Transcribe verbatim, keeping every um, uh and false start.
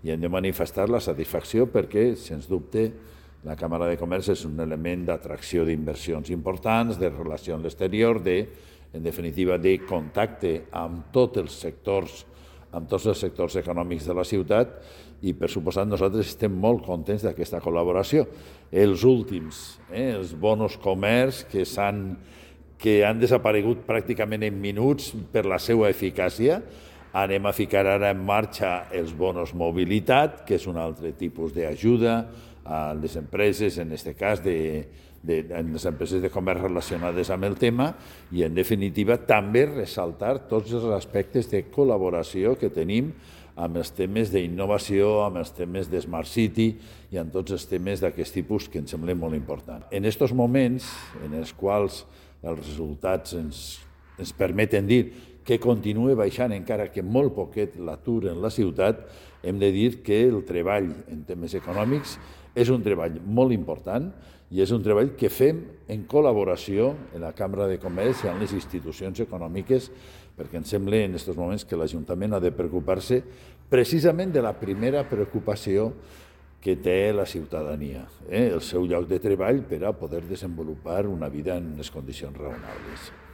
i hem de manifestar la satisfacció perquè, sens dubte, la Càmera de Comerç és un element d'atracció d'inversions importants, de relació amb l'exterior, de, en definitiva, de contacte amb tots els sectors, amb tots els sectors econòmics de la ciutat i, per suposat, nosaltres estem molt contents d'aquesta col·laboració. Els últims, eh, els bonos comerç que s'han que han desaparegut pràcticament en minuts per la seva eficàcia. Anem a ficar ara en marxa els bonos mobilitat, que és un altre tipus d'ajuda a les empreses, en aquest cas, de, de, en les empreses de comerç relacionades amb el tema, i, en definitiva, també ressaltar tots els aspectes de col·laboració que tenim amb els temes d'innovació, amb els temes de Smart City i amb tots els temes d'aquest tipus que em semblen molt importants. En aquests moments, en els quals els resultats ens, ens permeten dir que continua baixant encara que molt poquet l'atur en la ciutat, hem de dir que el treball en temes econòmics és un treball molt important i és un treball que fem en col·laboració en la Càmera de Comerç i amb les institucions econòmiques, perquè em sembla en aquests moments que l'Ajuntament ha de preocupar-se precisament de la primera preocupació que té la ciutadania, eh? el seu lloc de treball per a poder desenvolupar una vida en unes condicions raonables.